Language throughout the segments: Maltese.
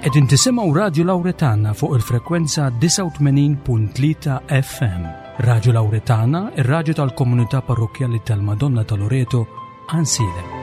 Qegħdin tisimgħu Radju Lawretana fuq il-frekwenza 89.3 FM. Radju Lawretana, ir-radju tal-komunità parrokkjali tal-Madonna ta' Loreto, Għansielem.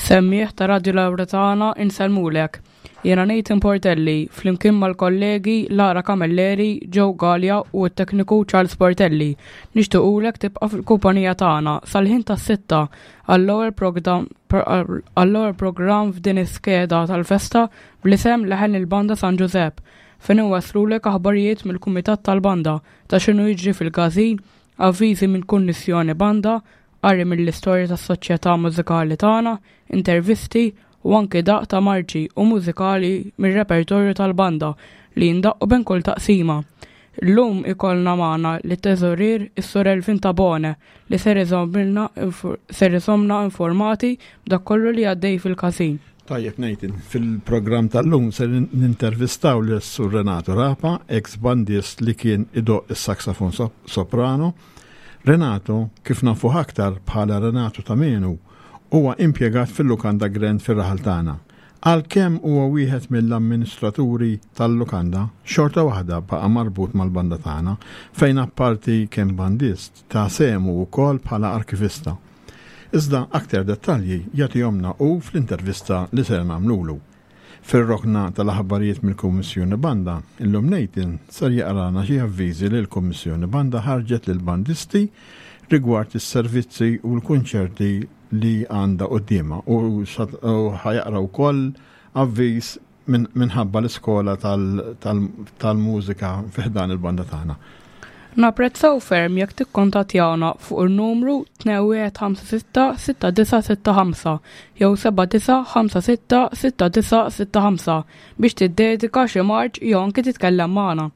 Semmiegħ ta' Radio Lauretana insellmulek. Jiena Nathan Portelli, flimkien mal-kollegi Lara Camilleri, Joe Galea u t-tekniku Charles Portelli. Nixtiequlek tibqa' fil-kumpanija tagħna sal-ħin tas-sitta għall-ewwel programm f'din iskeda tal-festa bl-isem Leħen il-Banda San Ġużepp, fejn inwasslulek aħbarijiet mill-Kumitat tal-Banda ta' x'inhu jiġri fil-każin, avviżi minn Kummissjoni Banda, qari mill-istorja tas-soċjetà mużikali tagħna, intervisti u anki daqq ta' marċi u mużikali mir-repertorju tal-banda li jindaqqu bejn kull taqsima. Illum ikollna magħna lit-teżorier is-Sur Elvin Tabone li ser iżommilna ser iżommna informati b'dak kollu li għaddej fil-każin. Tajjeb Nathan, fil-programm tal-lum ser nintervistaw lis-Sur Renato Rapa, ex bandist li kien idoqq is-saxofon soprano. Renato, kif nafuh aktar bħala Renato ta' Menu, huwa impjegat fil-Lukanda Grand fir-raħal tagħna. Għalkemm huwa wieħed mill-amministraturi tal-lukanda, xorta waħda baqa' marbut mal-banda tagħna, fejn apparti kemm bandist, ta sehmu wkoll bħala arkivista. Iżda aktar dettalji jagħtihomlna hu fl-intervista li ser nagħmlulu. Fir-rokna tal-aħbarijiet mill-Kummissjoni Banda, illum Nathan ser jaqralna xi avviżi li l-Kummissjoni Banda ħarġet lill-bandisti rigward is-servizzi u l-kunċerti li għandha quddiemha u ħa jaqra wkoll avviż minħabba l-iskola tal-mużika fi ħdan il-banda tagħna. Napprezzaw ferm jekk tikkontattjawna fuq in-numru 2156 6965 jew 7956 6965 biex tiddedika xi marċ jew anki titkellem magħna.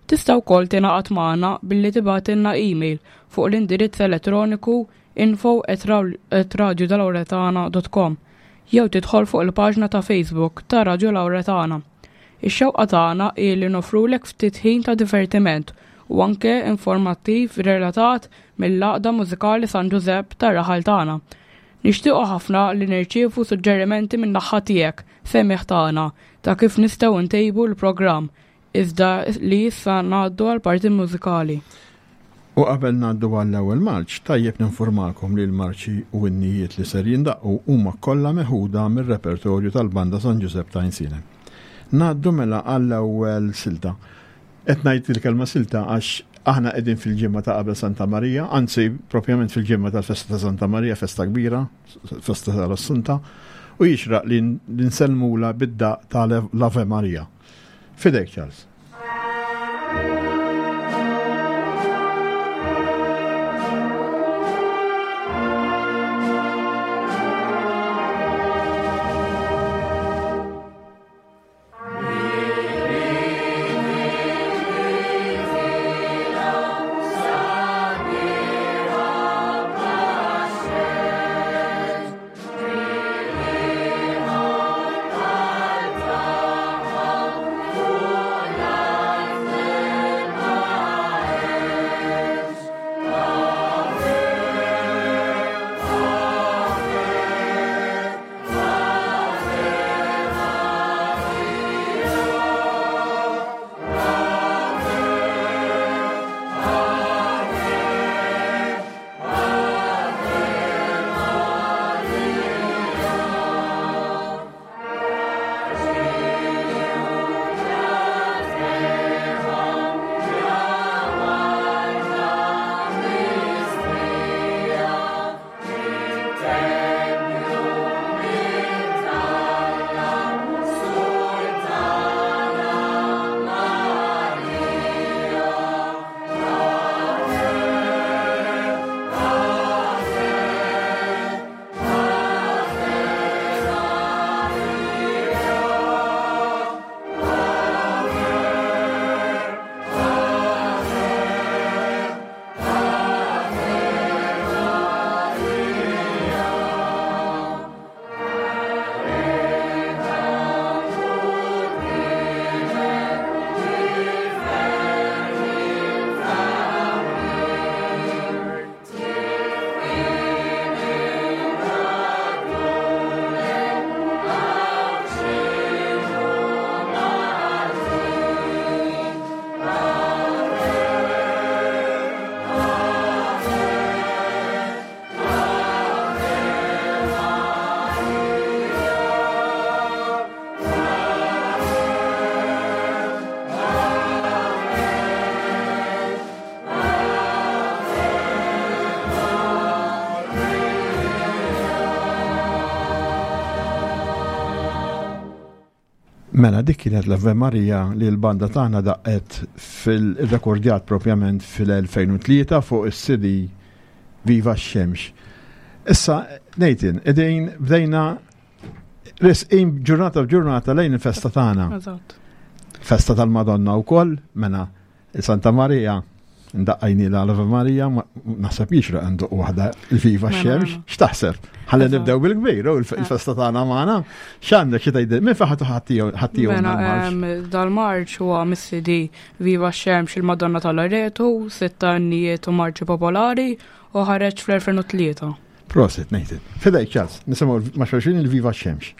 Tista' wkoll tingħaqad magħna billi tibgħatilna email fuq l-indirizz elettroniku info at radiolauretana dot com jew tidħol fuq il-paġna ta' Facebook ta' Radio Lauretana. Ix-xewqa tagħna hi li noffrulek ftit ħin ta' divertiment u anke informattiv relatat mill-Għaqda Mużikali San Ġużepp tar-raħal tagħna. Nixtiequ ħafna li nirċievu suġġerimenti min-naħa tiegħek, semmiegħ tagħna, ta' kif nistgħu ntejbu l-programm Iżda li issa ngħaddu għall-parti mużikali. U qabel ngħaddu għall-ewwel marċ, tajjeb ninfurmakom li l-marċi u innijiet li ser jindaqqu huma kollha meħuda mir-repertorju tal-Banda San Ġużepp ta' Għajnsielem. Ngħaddu mela għall-ewwel silta. Qed ngħid il-kelma silta għax aħna qegħdin fil-ġimgħa ta' qabel Santa Marija, anzi propjament fil-ġimgħa tal-festa ta' Santa Marija, festa kbira, festa tal-Assunta, u jixraq li nsellmulha bid-daqq ta' l-Ave Maria. Fidejk, Charles. Mela dik kienet l-Ave Maria li l-banda tagħna daqqet fil-rekordjat propjament fil-2003 fuq is-CD Viva x-Xemx. Issa, Nathan, qegħdin bdejna resqin ġurnata b'ġurnata lejn il-festa tagħna. Festa tal-Madonna wkoll, mela Santa Maria, ndaqqajni l Ave Maria, naħseb jixraq għandu waħda il-viva mela, xemx, mela. x'taħseb? Ħalli nibdew bil-kbir, u il-festa tagħna magħna. X'għandek xi tgħidil? Min fejn ħadd Mela, dal-marċ huwa mis-CD Viva Xemx il-Madonna tal-Loreto, sitta innijiet u marċi popolari u ħareġ fl-2003. Prosit, Nathan. Fidejk, Charles, nisimgħu ma' xulxin il-Viva Xemx.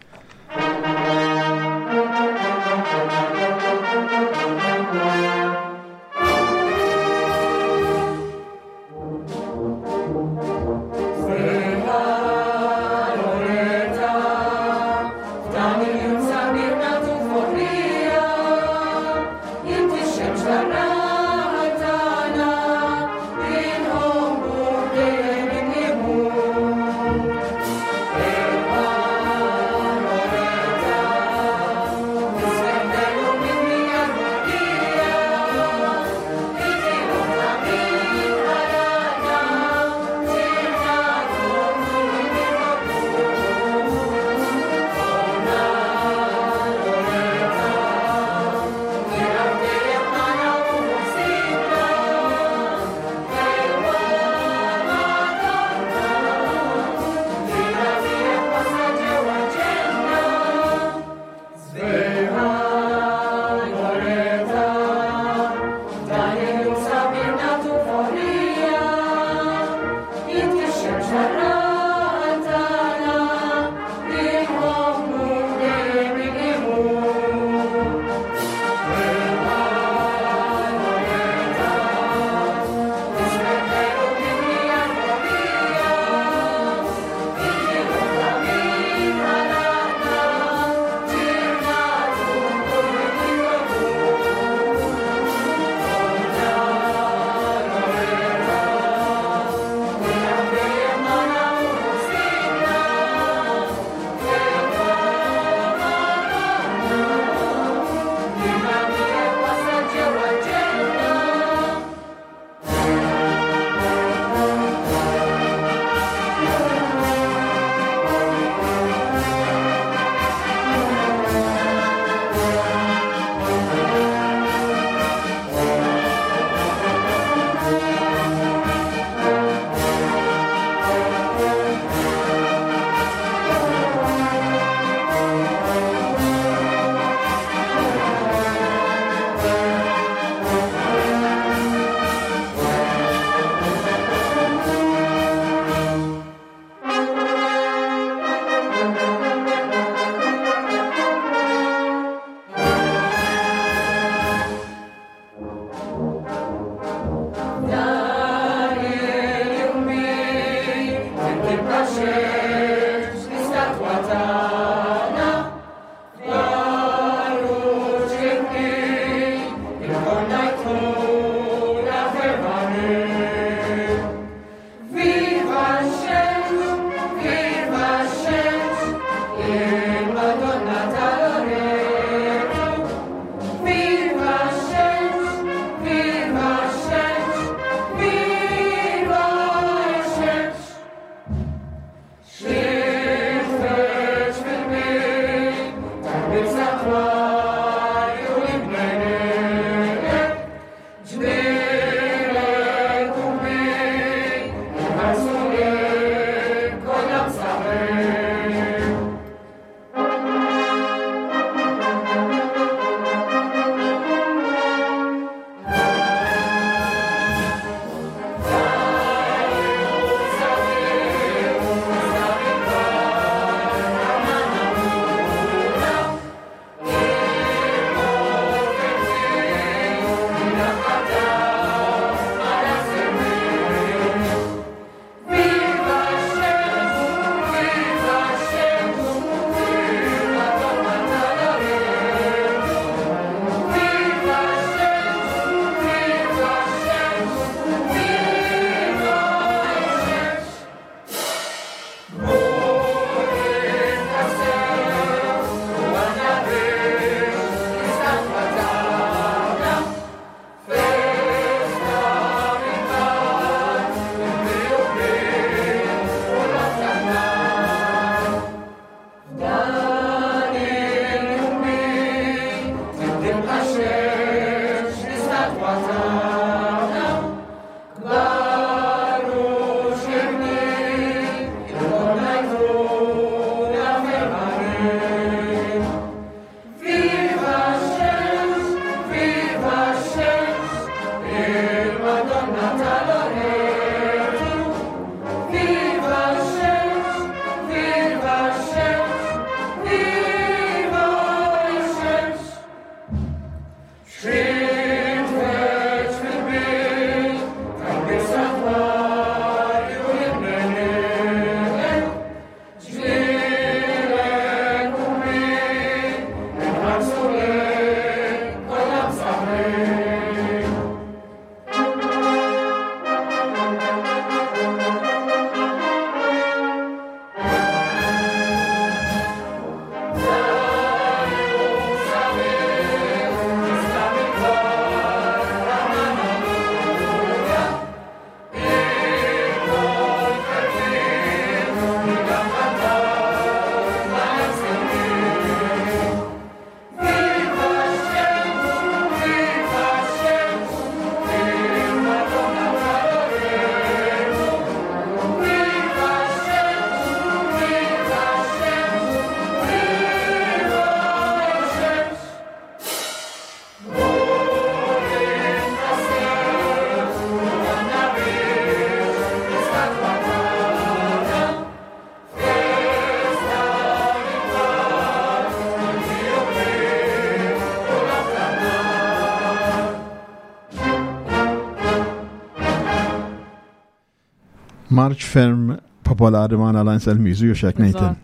Marċ ferm popolari magħna Lance Elmizu, jew xek Nathan.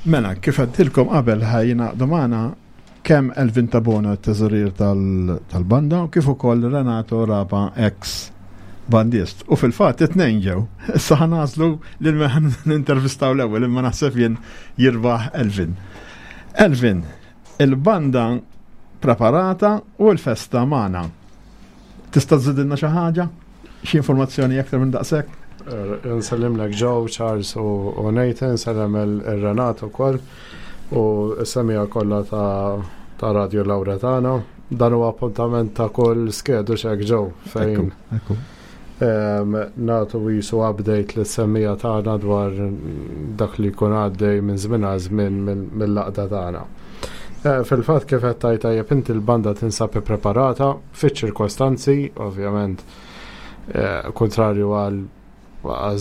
Mela, kif għedtilkom qabel ħa jingħaqdu magħna kemm Elvin Tabona t-teżorier tal-banda u kif ukoll Renato Rapa ex bandist. U fil-fatt it-tnejn ġew. Issa ħa nagħżlu lil min nintervistaw l-ewwel imma naħseb jien jirbaħ Elvin. Elvin, il-banda preparata u l-festa magħna. Tista' żidilna xi ħaġa? Xi informazzjoni aktar minn daqshekk? Eh, nsellimlek Joe, Charles u Nathan, nsellem il-Renato ukoll u s-semija kollha ta' Radio Lauretana. Dan huwa appuntament ta' kull skedu xek Joe fejn. Natu jisu update li semmija tagħna dwar dak li jkun għaddej minn żmien għal żmien mill-laqda tagħna. Eh, fil-fatt kif qed tajt tajjeb inti l-banda tinsab ippreparata fiċ-ċirkostanzi, ovvjament, eh, kontrarju għal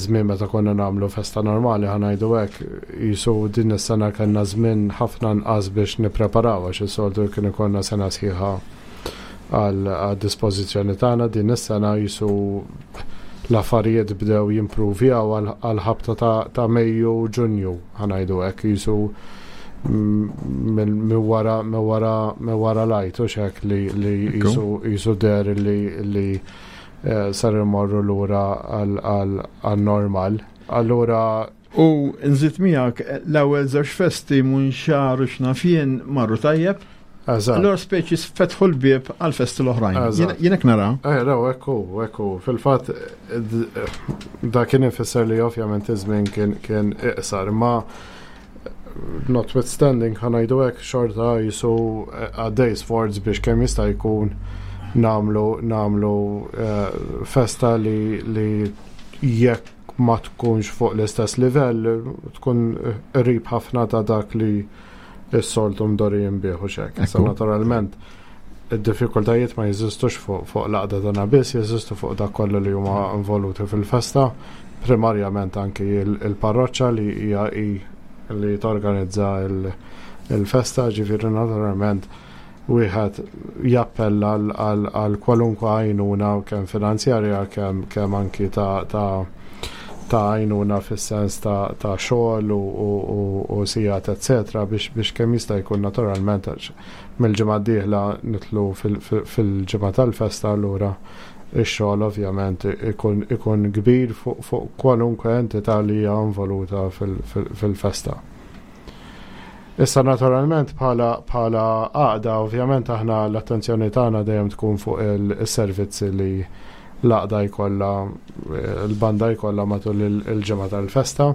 żmien meta konna nagħmlu festa normali ħanajdu hekk, jisu din is-sena kellna żmien ħafna nqas biex nippreparaw għax is-soltu kien ikollna sena sħiħa għal dispożizzjoni tagħna din is-sena jisu l-affarijiet bdew jimpruvjaw għal ħabta ta' Mejju Ġunju ħanajdu hekk jisu minn wara minn wara minn wara lajt u xek li li jisu jisu der li li eh, sar imorru lura għal normal. Allura U nżid miegħek l-ewwel żewġ festi Munxar u x'naf jien marru tajjeb. Eżatt. Allura speċi fetħu l-bieb għal festi l-oħrajn. Eżatt. Jien hekk nara. Eh, no, ekku, ekku. Fil-fatt, da kien ifisser li ovvjament iż-żmien kien kien iqsar, ma notwithstanding ħanajdu hekk xorta jisu eh, għaddej sforz biex kemm jista' jkun namlu namlu eh, festa li li jekk ma tkunx fuq l-istess livell, tkun qrib ħafna ta' dak li s-soltu mdorijin bih u xek. Issa naturalment, id-diffikultajiet ma jeżistux fuq fuq l-għaqda tagħna biss, jeżistu fuq dak kollu li huma involuti fil-festa, primarjament anki il-parroċċa li hija hi li torganizza il-festa, ġifieri naturalment wieħed jappella għal kwalunkwe għajnuna kemm finanzjarja kemm kemm anki ta' ta' ta' għajnuna fis-sens ta' ta' xogħol u, u, u, u sigħat eccetera biex biex kemm jista' jkun naturalment għax mill-ġimgħa d-dieħla nidħlu fil-ġimgħa tal-festa allura ix-xogħol ovvjament ikun ikun kbir fuq fuq kwalunkwe entità li hija involuta fil-festa. Issa naturalment bħala bħala għaqda ovvjament aħna l-attenzjoni tagħna dejjem tkun fuq il-servizzi li l-għaqda jkollha l-banda jkollha matul il-ġimgħa tal-festa.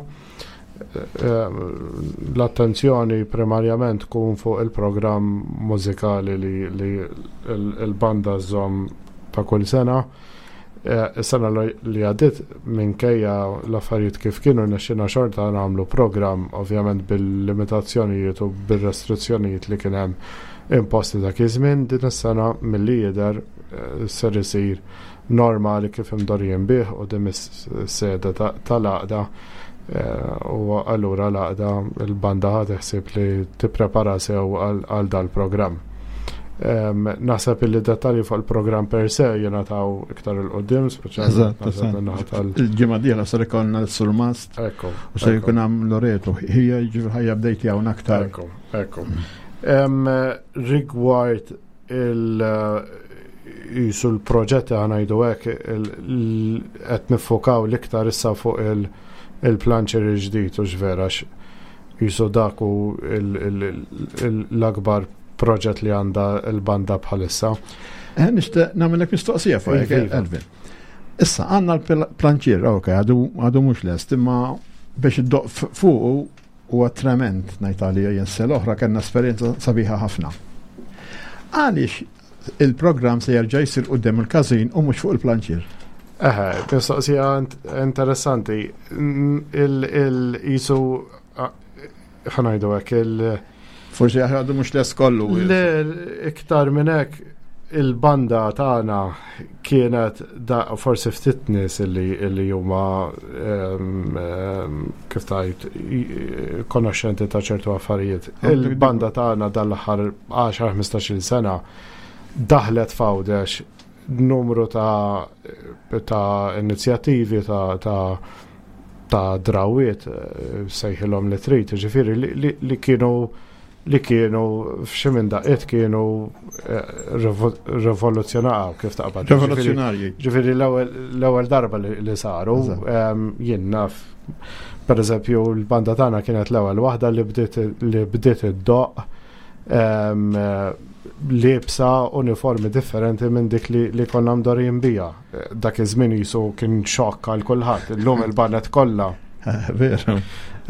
L-attenzjoni primarjament tkun fuq il-programm mużikali li, li l-banda żżomm ta' kull sena. Is-sena li għaddiet minkejja l-affarijiet kif kienu rnexxielna xorta nagħmlu programm ovvjament bil-limitazzjonijiet u bir-restrizzjonijiet li kien hemm imposti dak iż-żmien. Din is-sena milli jidher ser isir normali kif imdorrijin bih quddiem is-sede tal-għaqda u allura l-għaqda l-banda ħadet ħsieb li tipprepara sew għal dal-programm. Naħseb illi dettalji fuq il-programm per se jingħataw iktar il-qudiem, speċjalment il-ġimgħa dieħla ser ikollna l-surmast. Ekku. U se jkun hemm Loreto. Hija jiġifieri ħajja bdejt hawn aktar. Ekku, ekku. Rigward il jisu l-proġetti ħanajdu hekk qed niffokaw l-iktar issa fuq il-planċer il-ġdid u x'vera Qisu dak hu l-akbar proġett li għandha l-banda bħalissa. Eh, nixtieq nagħmellek mistoqsija fuq hekk, iva. Elvin. Issa għandna l-planċier, ok, għadu mhux lest, imma biex iddoq fuqu huwa trement ngħid għalija jien se l-oħra kellna esperjenza sabiħa ħafna. Għaliex il-programm se jerġa' jsir quddiem il-każin u mhux fuq il-planċier? Eħe, mistoqsija interessanti. Il-jisu, ħanajdu hekk, il- Forsi għadu mhux lest kollu. Le, iktar minn hekk, il-banda tagħna kienet da forsi ftit nies illi illi huma ehm, ehm, kif tajt konoxxenti ta' ċertu affarijiet. Il-banda tagħna dal-aħħar 10-15 sena daħlet f'Għawdex. numru ta' ta' inizjattivi ta' ta' ta' drawiet eh, sejħilhom li trid, ġifieri li, li, li kienu li kienu f'xi minn daqqiet kienu eh, rivoluzzjonaw kif taqbad. Rivoluzzjonarji. Ġifieri l-ewwel darba li saru, jien naf per eżempju l-banda tagħna kienet l-ewwel waħda li bdiet li bdiet iddoqq liebsa uniformi differenti minn dik li konna mdorin bija. Dak iż-żmien jisu kien xokk għal kulħadd. Illum il-banet kollha. Veru.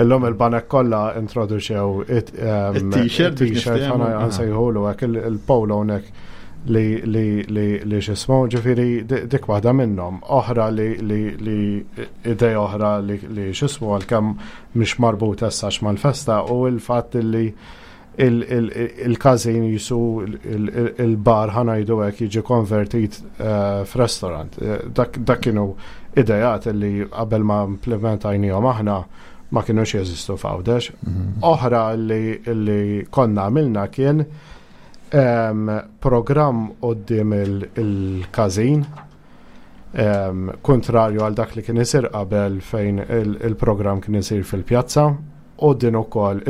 Illum il-banek kollha introduċew it-t-shirt, t-shirt ħana nsejħulu hekk il-polo hawnhekk li li li li x'ismu, ġifieri dik waħda minnhom. Oħra li li li idea oħra li li x'ismu għalkemm mhix marbuta issa mal-festa u l-fatt li il-każin jisu il-bar ħanajdu hekk jiġi konvertit eh, f'restaurant. Eh, dak kienu idejat li qabel ma implementajnihom aħna ma kienux jeżistu f'Għawdex. Mhm. Oħra li konna għamilna kien ehm, programm qoddim il-każin ehm, kontrarju għal dak li kien isir qabel fejn il-programm kien isir fil-pjazza U din ukoll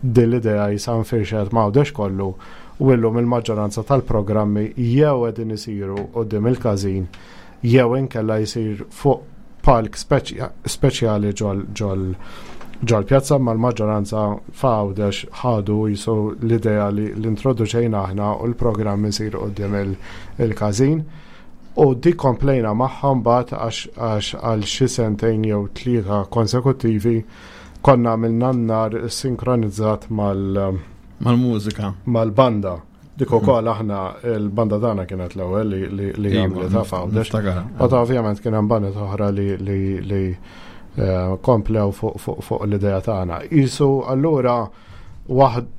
din l-idea jisa nfirxet ma' Għawdex kollu u illum il-maġġoranza tal-programmi jew qegħdin isiru quddiem il-każin jew inkella jsir fuq palk speċjali ġol ġol-pjazza imma l-maġġoranza f'Għawdex ħadu jisu l-idea li l-introduċejna aħna u l-programm isir quddiem il-każin. U dik komplejna magħha mbagħad għax għal xi sentejn jew tlieta konsekuttivi konna għamilna n-nar sinkronizzat mal- Mal-mużika. Mal-banda. Dik mhm. ukoll aħna il-banda tagħna kienet l-ewwel li iva, għamlet f'Għawdex. Meta ovvjament kien hemm bandet oħra li eh, komplew fuq l-idea tagħna. Isu allura waħd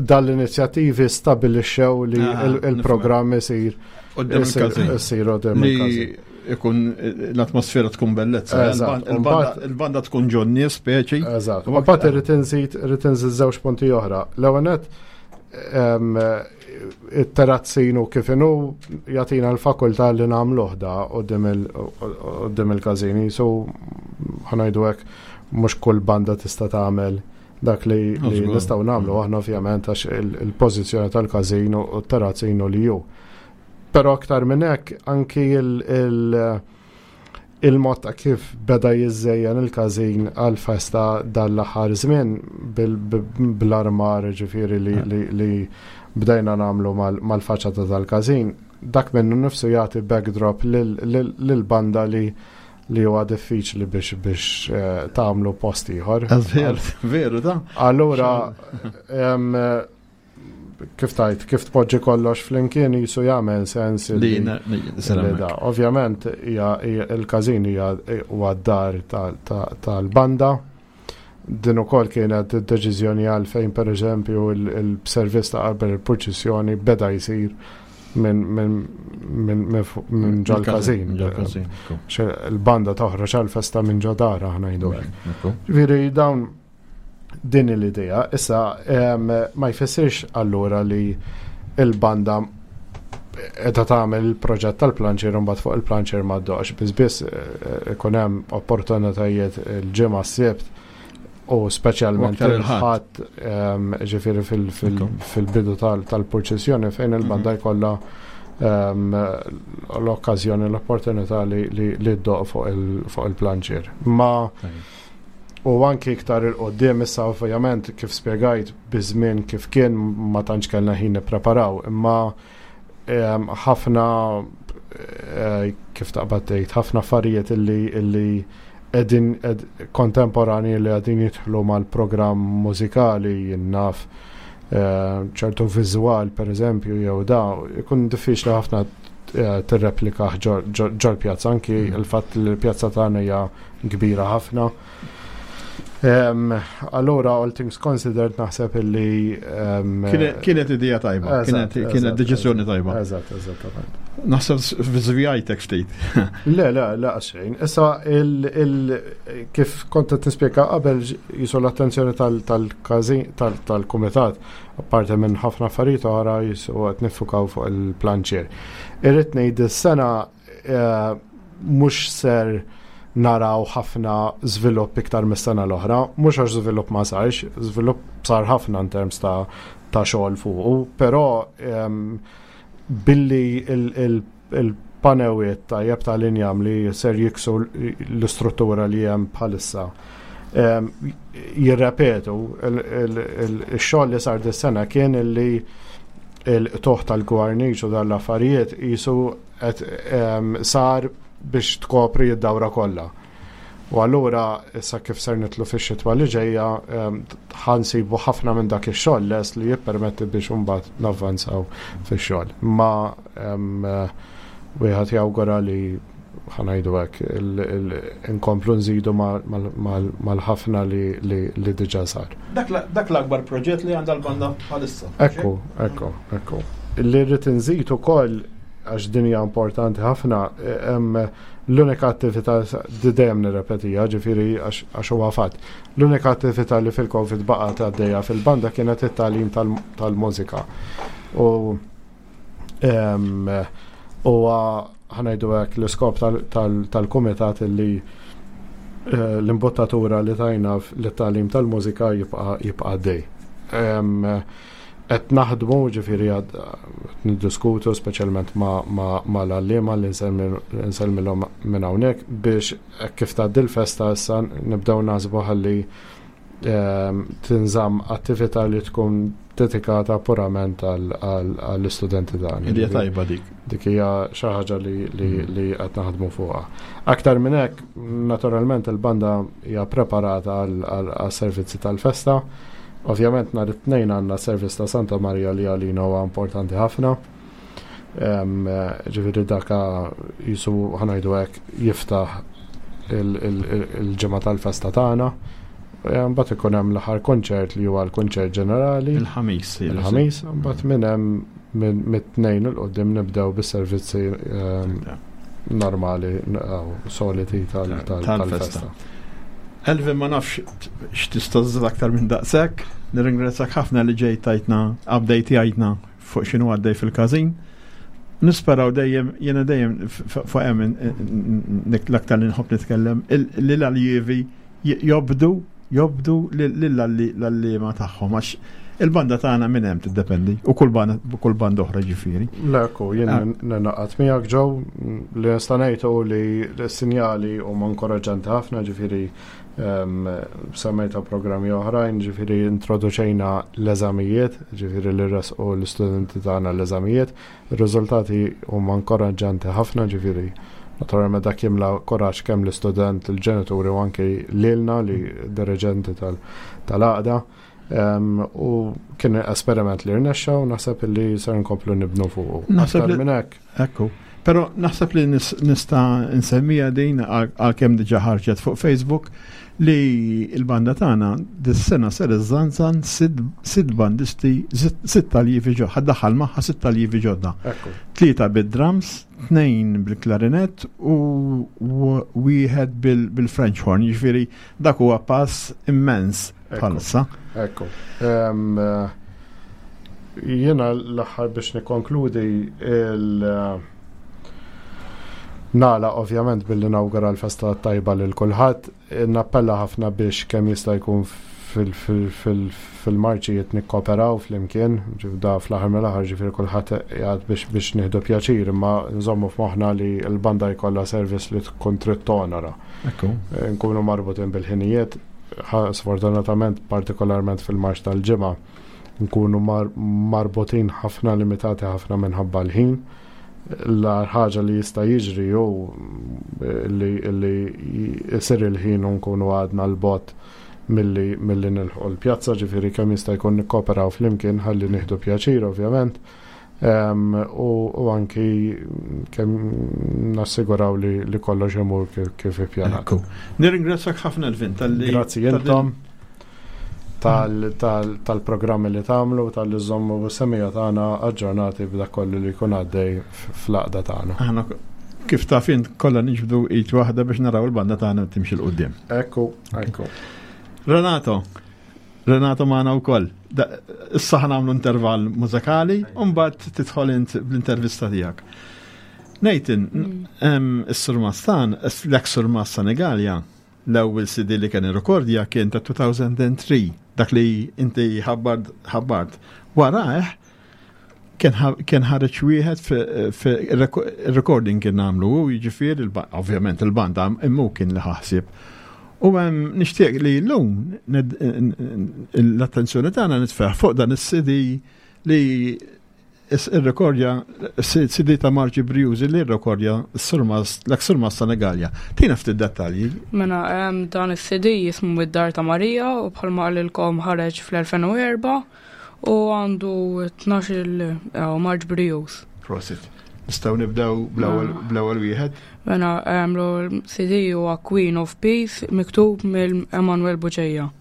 dal-inizjattivi stabilixxew li ah, il-programm isir isir qudiem il-każin. Ikun l-atmosfera tkun bellezza. Il-banda tkun ġonni speċi. Eżatt. U mbagħad irid inżid irid inżid żewġ punti oħra. L-ewwel nett it-terazzin u kif inhu jagħtina l-fakultà li nagħmluh da quddiem il-każini. So ħanajdu hekk mhux kull banda tista' tagħmel dak li nistgħu nagħmlu aħna ovvjament għax il-pożizzjoni tal-każin u t-terrazzin u li ju. Però aktar minn hekk anki il-mod ta' kif beda jiżżejjen il-każin għal festa dal-aħħar żmien bl-armar ġifieri li bdejna nagħmlu mal-faċċata tal-każin, dak minnu nifsu jagħti backdrop lill-banda li li huwa diffiċli biex biex eh, tagħmlu post ieħor. Veru da. Allura kif tajt, kif tpoġġi kollox flimkien jisu jagħmel sens li da. Ovvjament il-każin hija huwa d-dar tal-banda. Din ukoll kienet id-deċiżjoni għalfejn pereżempju il-servizz ta' qabel il-purċissjoni beda jsir minn ġol-każin. Il-banda toħroġ għal-festa minn ġo dar aħna ngħidu hekk. Ġifieri dawn din l-idea issa ma jfissirx allura li il-banda edha tagħmel il-proġett tal-planċier u mbagħad fuq il-planċier ma ddoqx. Biss biss eh, ikun hemm opportunitajiet il-ġimgħa s-sibt u speċjalment il-ħadd ehm, ġifieri fil-bidu tal-purċissjoni fejn il-banda mhm. jkollha ehm, l-okkażjoni l-opportunità li ddoq fuq il-planċier. Ma U anki iktar il-qoddim issa ovvjament kif spjegajt biż-żmien kif kien ma tantx kellna ħin nippreparaw, imma ehm, ħafna eh, kif taqbad tgħid, ħafna affarijiet illi illi qegħdin kontemporani li qegħdin jidħlu mal-programm mużikali jinnaf eh, ċertu viżwal pereżempju jew da ikun diffiċli ħafna eh, tirreplika ġol pjazza anki mm. il-fatt li l-pjazza tagħna hija kbira ħafna. Allura, all things considered, naħseb illi. Kienet idea tajba, kienet deċiżjoni tajba. Eżatt, eżattament. Naħseb żvijajtek ftit. Le, le, le, xejn. Issa, kif kont qed nispjega qabel, jisu l-attenzjoni tal-każin, tal-kumitat, apparti minn ħafna affarijiet oħra jisu qed niffukaw fuq il-planċier. Irrid ngħid is-sena eh, mhux ser naraw ħafna żvilupp iktar mis-sena l-oħra, mhux għax żvilupp ma sarx, żvilupp sar ħafna in terms ta' ta' xogħol fuqu, però ehm, billi il-panewiet tajjeb tal-injam li ser jiksu l-istruttura li hemm bħalissa ehm, jirrepetu il-xogħol li sar dis-sena kien li il-toħ tal-gwarniċ u dal-affarijiet jisu qed ehm, sar biex tkopri d-dawra kollha. U allura issa kif ser nitlu fix-xitwa li ġejja ehm, ħansibu ħafna minn dak ix-xogħol lest li jippermetti biex imbagħad navvanzaw fix-xogħol. Ma ehm, wieħed jawgura li ħanajdu hekk inkomplu nżidu mal-ħafna li diġà sar. Dak l-akbar proġett li għandha l-banda bħalissa. Ekku, ekku, ekku. Li rrid inżid ukoll għax din hija importanti ħafna, l-unika attività di dejjem nirrepetija, ġifieri għax huwa fatt. L-unika attività li fil-Covid baqgħet għaddejja fil-banda kienet it-tagħlim tal-mużika. U huwa ħanajdu hekk l-iskop tal-kumitat li eh, l-imbottatura li tajna l-tagħlim tal-mużika jibqa' għaddej. Qed naħdmu ġifieri għad niddiskutu speċjalment mal-għalliema li nsellmilhom minn hawnhekk biex kif tgħaddi l-festa issa nibdew naħsbu ħalli ehm, tinżamm attività li tkun dedikata purament għall-istudenti tagħna. Idea tajba dik. Dik hija xi ħaġa li mm. qed naħdmu fuqha. Aktar minn hekk, naturalment il-banda hija preparata għas-servizzi tal-festa. Ovvjament nhar it-Tnejn għandna servizz ta' Santa Marija li għalina huwa importanti ħafna. Ġifieri daka jisu ħanajdu hekk jiftaħ il-ġimgħa tal-festa tagħna. Mbagħad ikun hemm l-aħħar konċert li huwa l-konċert ġenerali. Il-ħamis. Il-ħamis, mbagħad minn hemm mit-tnejn il qudiem nibdew bis-servizzi normali soliti tal-festa. Elvin ma nafx x'tista' żżid aktar minn daqshekk. Nirringrazzjak ħafna li ġejt tajtna update jgħidna fuq x'inhu għaddej fil-każin. Nisperaw dejjem, jiena dejjem fuq hemm l-aktar li nħobb nitkellem, li l-aljievi jobdu jobdu lill-għalliema tagħhom għax il-banda tagħna minn hemm tiddependi u kull banda kull banda oħra ġifieri. Lekku, jien ah. ninaqat miegħek ġew li nista' ngħid hu li l-sinjali huma inkoraġġanti ħafna ġifieri ehm, semmejta programmi oħrajn, ġifieri introduċejna l-eżamijiet, ġifieri li resqu l-istudenti tagħna l-eżamijiet, Ir-riżultati huma inkoraġġanti ħafna, ġifieri naturalment dak jimla kuraġġ kemm l-istudent, il-ġenituri u anki lilna li diriġenti tal-għaqda. U kien esperiment li rnexxa u naħseb li ser nkomplu nibnu fuqu. Naħseb li minn hekk. Ekku. Però naħseb li nista' nsemmija din għalkemm diġà ħarġet fuq Facebook li l-banda tagħna dis-sena ser iżżanżan sitt bandisti, sitt taljivi ġodda, ħaddaħħal magħha sitt taljivi ġodda. Tlieta bid-drums, tnejn bil-klarinett u wieħed bil-French horn, jiġifieri dak huwa pass immens bħalissa. Ekku. Eh, jiena l-aħħar biex nikkonkludi il- Nagħlaq ovvjament billi nawgura l-festa tajba lil kulħadd. Nappella ħafna biex kemm jista' jkun fil-marċijiet nikkoperaw flimkien, da fl-aħħar mill-aħħar ġifieri kulħadd qiegħed biex biex nieħdu pjaċir, imma nżommu f'moħħna li l-banda jkollha service li tkun trid tonora. Nkunu marbutin bil-ħinijiet, sfortunatament partikolarment fil-marċ tal-ġimgħa nkunu marbutin ħafna limitati ħafna minħabba l-ħin. L-agħar ħaġa li jista' jiġri hu li li jsir il-ħin u nkunu għadna 'l bogħod milli milli nilħqu l-pjazza, ġifieri kemm jista' jkun nikkoperaw flimkien ħalli nieħdu pjaċir ovvjament. U anki kemm nassiguraw li kollox imur kif ippjanat. Nirringrazzjak ħafna Elvin tal-li. Grazzi intom tal-programmi li tagħmlu tal-li żommu semija tagħna aġġornati b'dak kollu li jkun għaddej fl-għaqda tagħna. Aħna kif taf int kollha niġbdu id waħda biex naraw il-banda tagħna timxi 'l quddiem. Ekku, ekku. Renato, Renato magħna wkoll. Issa ħa nagħmlu intervall mużikali u mbagħad tidħol int bl-intervista tiegħek. Nathan, mm. is-Surmastan, l-ex Surmas Senegalja, l-ewwel CD li kien irrekordja kien ta' 2003, dak li inti ħabbart. Warajh kien ħareġ wieħed fi recording kien nagħmlu u jiġifieri ovvjament il-banda immu kien li ħaħsib. U hemm nixtieq li llum l-attenzjoni tagħna nitfeħ fuq dan is-CD li ir-rekordja CD ta' Marċi Briużi li rrekordja l-ex-Surmas Senegalja. Tina ftit dettalji. Mela dan is-CD jismu id-Dar ta' Marija u bħalma qalilkom ħareġ fl-2004 u għandu 12 marċ brijuż. Prosit. Nistgħu nibdew bl-ewwel wieħed? Mela l-CD huwa Queen of Peace miktub mill Emanuel Buċeja.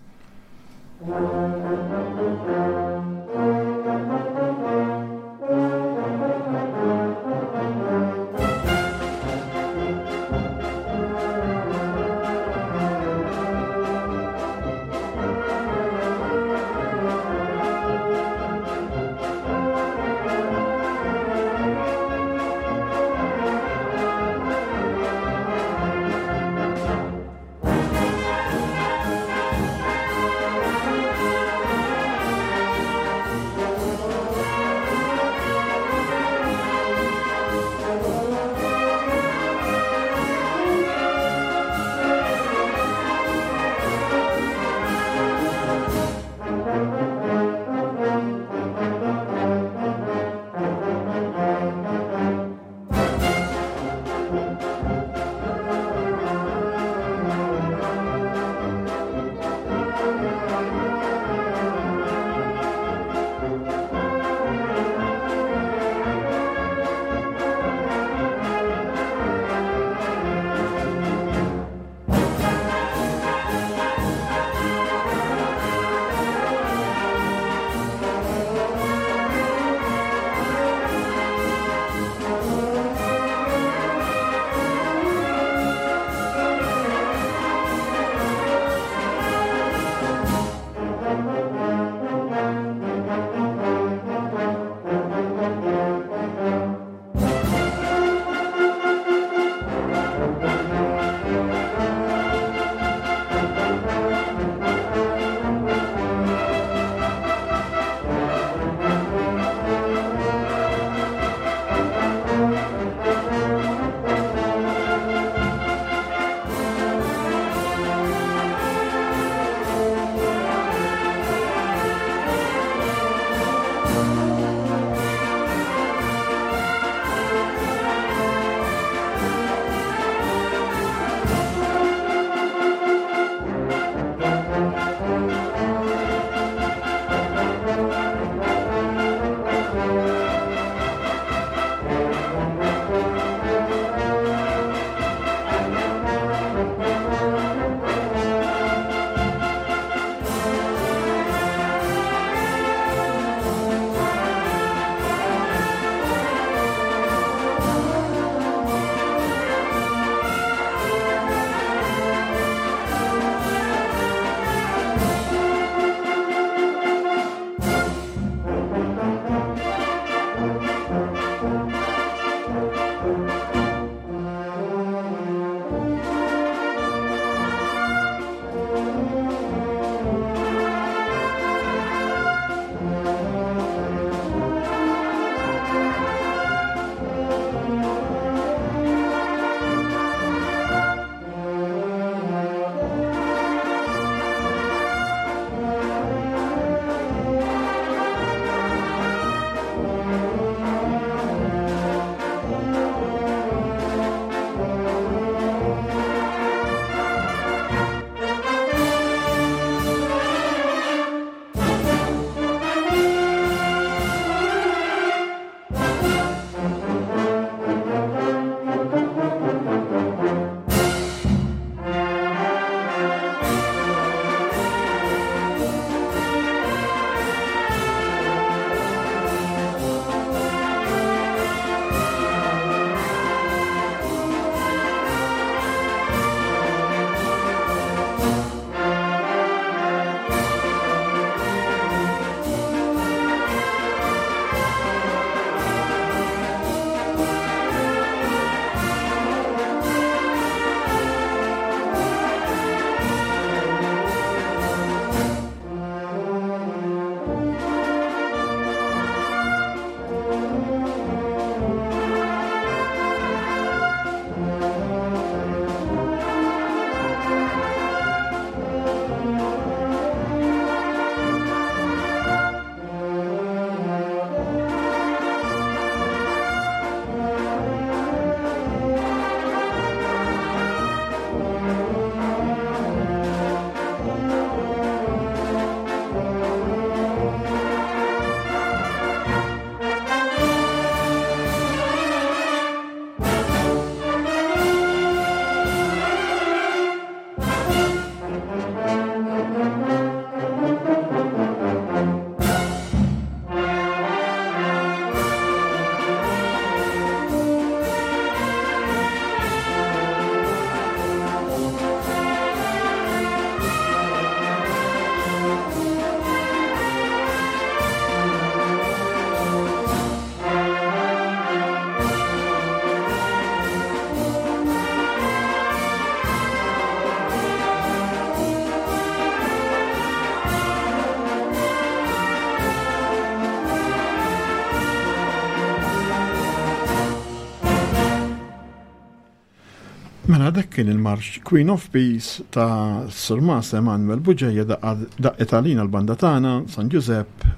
Mela dak kien il-marx Queen of Peace ta' Surmas Emanuel Buġeja daqqet għalina l-banda tagħna San Giuseppe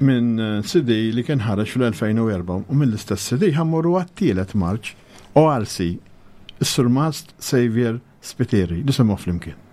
minn CD li kien ħareġ fl-2004 u mill-istess CD ħammorru għat-tielet marċ u għalsi is-Surmast Xavier Spiteri nisimgħu flimkien.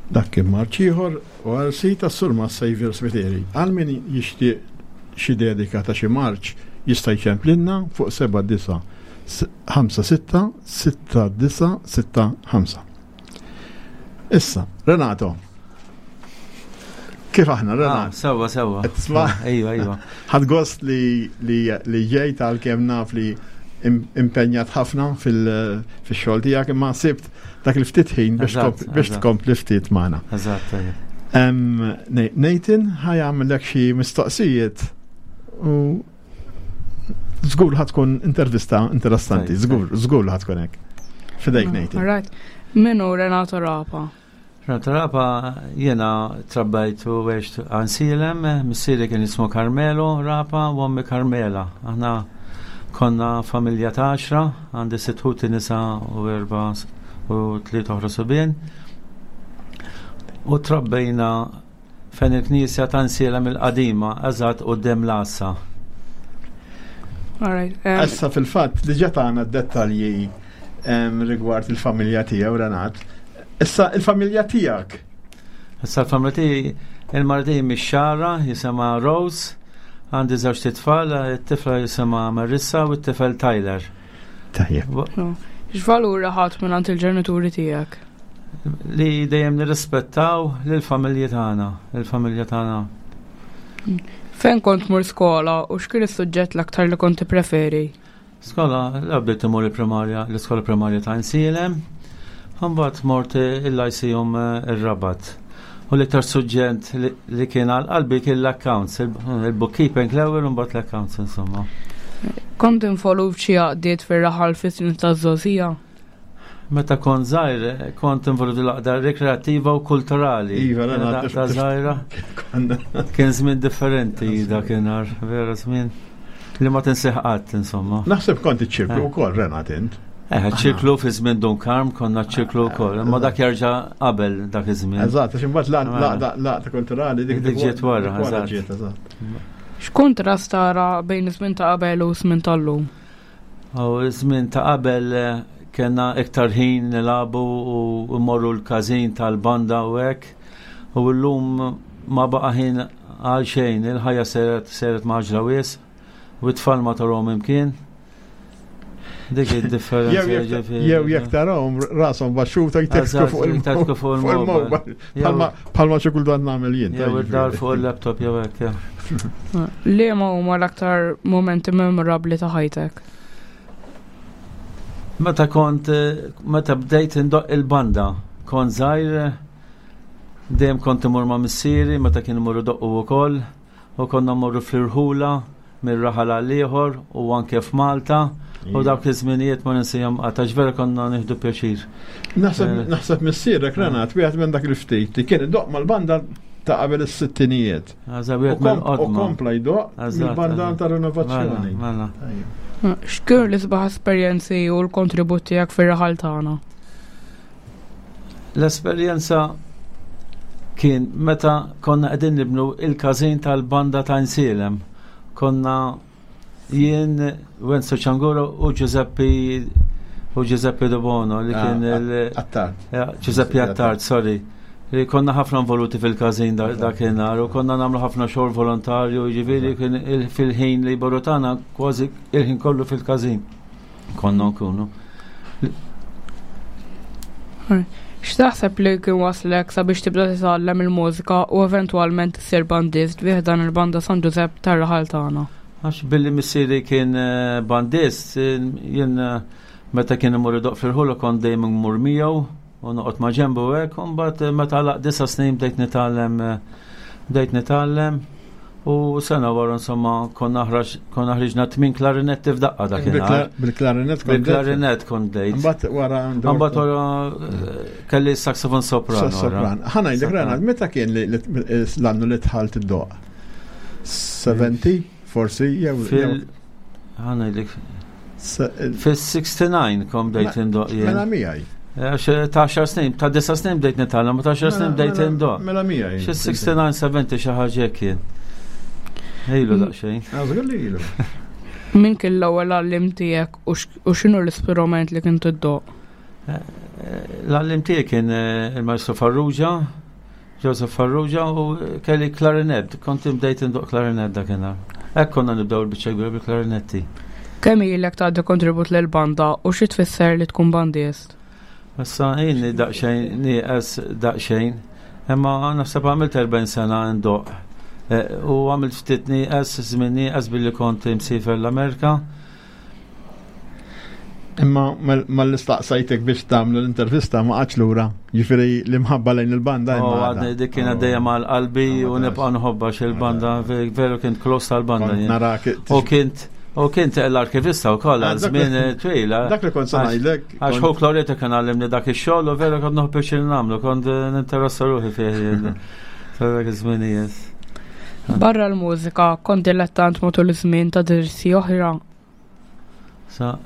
Dak kien marċ ieħor u għal sit tas-Surma Xavier Spiteri. Għal min jixtieq xi dedika ta' xi marċ jista' jċemplinna fuq 79 56 6965. Issa, Renato, kif aħna, Renato? Ah, sewa, sewa. Tisma? Ejwa, ejwa. Ħad gost li li ġejt għalkemm naf li impenjat ħafna fil-xogħol tiegħek imma sibt dak il-ftit ħin biex tkompli ftit magħna. Eżatt, Nathan ħajamlek xi mistoqsijiet u żgur ħad tkun intervista interessanti, żgur, żgur ħad tkun hekk. Fidejk Nathan. All right. Min hu Renato Rapa? Renato Rapa jiena trabbajt u għext Għajnsielem, missieri kien jismu Carmelo Rapa u ommi Carmela. Aħna konna familja ta' għaxra, għandi sitt ħuti nisa u erba' u tliet oħra subien. U trabbejna fejn il-knisja ta' Għajnsielem il-qadima, eżatt quddiem l-għassa. All right. Issa fil-fatt diġà tagħna d-dettalji rigward il-familja tiegħu Renat. Issa il-familja tiegħek. Issa l-familja tiegħi il-mara tiegħi mix-Xagħra jisimha Rose, għandi żewġt itfal, it-tifla jisimha Marissa u t-tifel Tyler. Tajjeb. X'valuri ħadt mingħand il-ġenituri tiegħek? Li dejjem nirrispettaw lill-familji tagħna, il-familja tagħna. Fejn kont tmur skola u x'kien is-suġġett l-aktar li kont tippreferi? Skola, la bdejt imur il-primarja, l-iskola primarja ta' Għajnsielem, mbagħad mort il-Lyceum ir-Rabat. U l-iktar suġġett li kien għal qalbi kien l-accounts, il-bookkeeping l-ewwel u mbagħad l-accounts insomma. Kont involut f'xi għaqdiet fir-raħal fis-snin taż-żgħożija? Meta kont żgħir, kont involut l-għaqda rekreattiva u kulturali. Iva, ta' żgħira. Kien żmien differenti dakinhar, vera żmien li ma tinsih qatt insomma. Naħseb kont iċ-ċirklu wkoll Renat int. Eh, ċirklu fi żmien Dun Karm konna ċirklu wkoll, imma dak jerġa' qabel dak iż-żmien. Eżatt, għax imbagħad l-għaqda kulturali dik ġiet wara, eżatt. X'kuntrast tara bejn iż-żmien ta' qabel u żmien tal-lum? U żmien ta' qabel kellna iktar ħin nilagħbu u mmorru l-każin tal-banda u hekk. U llum ma baqa' ħin għal xejn, il-ħajja seret seret mgħaġġla wisq u t-tfal ma tarahom imkien. Dik id-differenza. Jew jekk tarahom rashom baxxuta jtekku fuq il-mobile. Bħalma xi kultant nagħmel jien. Jew id-dar fuq il-laptop jew hekk. Liema huma l-aktar momenti memorabbli ta' ħajtek? Meta kont meta bdejt indoqq il-banda, kont żgħir dejjem kont imur ma' missieri meta kien imur idoqqu wkoll u konna mmorru fl-irħula mir-raħal għal ieħor u anke f'Malta u dawk iż-żminijiet ma ninsihom qatt għax vera konna nieħdu pjaċir. Naħseb missierek Renat wieħed minn dak il-ftit li kien idoqq mal-banda ta' qabel is-sittinijiet. U kompla jdoqq mill-banda ta' rinovazzjoni. Mela. X'kienu l-isbaħ esperjenzi u l-kontribut tiegħek fir-raħal tagħna? L-esperjenza kien meta konna qegħdin nibnu il-każin tal-banda ta' Għajnsielem. Konna jien, Wenzu Ċanguro u Giuseppe u Giuseppe De Bono li kien ah, il Attard. Giuseppe Attard, sorry. Li konna ħafna involuti fil-każin dakinhar u konna nagħmlu ħafna xogħol volontarju, jiġifieri kien fil-ħin li tagħna kważi il-ħin kollu fil-każin. Konna nkunu. X'taħseb li kien waslek sabiex tibda titgħallem il-mużika u eventwalment issir bandist bi ħdan il-Banda San Ġużepp tar-raħal tagħna? Għax billi missieri kien eh, bandist, jien eh, meta kien imur idoq fil-ħula kont dejjem immur miegħu u noqgħod ma' ġenbu hekk, u mbagħad eh, meta għalaq disa' snin bdejt nitgħallem bdejt nitgħallem U sena wara insomma konna konna ħriġna tmin klarinetti f'daqqa dakinhar. Bil-klarinet kont Bil-klarinet kont bdejt. Mbagħad wara Mbagħad wara eh, kelli saxofon soprano. Sopran. Ħa ngħidlek Renat, meta kien l-annu li dħalt id-doq? 70 forsi jew Ħa ngħidlek Fis-69 kom bdejt indoq jien. Mela miegħi. Għax eh, ta' 10 snin, ta' 9 snin bdejt nitgħallem, ma ta' 10 snin bdejt mela, indoq. Mela miegħi. Xi 69, 70 xi ħaġa hekk kien. Ilu mm. daqsxejn. Ah, żgur li ilu. Min kien l-ewwel għallim tiegħek u x'inhu l-istrument li kien tiddoq? Eh, eh, l-għallim tiegħi kien il-Maestro Farrugia, Joseph Farrugia u kelli klarinet, kont bdejt indoq klarinet dakinhar. Hekk konna nibdew il-biċċa kbira bil-klarinetti. Kemm ilek tagħti kontribut lill-banda u xi tfisser li tkun bandist? Issa inni daqsxejn nieqes daqsxejn, imma naħseb għamilt 40 sena ndoqq. Eh, u għamilt ftit nieqes, żmien nieqes billi kont imsiefer l-Amerika. Imma mal-istaqsajtek biex tagħmlu l-intervista ma qatx lura, jiġifieri l-imħabba lejn il-banda. Oh, għadni dik kienet oh. dejjem għal qalbi u nibqa' nħobba il-banda, veru kint close tal-banda. U kint U kint l-arkivista u koll għal żmien twil. Dak li kont ngħidlek. Għax hu Kloreta kien għallimni dak ix-xogħol u vera kont noħ biex nagħmlu, kont ninteressa ruħi fih. Dak iż-żminijiet. Barra l-mużika, kont dilettant matul iż-żmien ta' dirsi oħra. Sa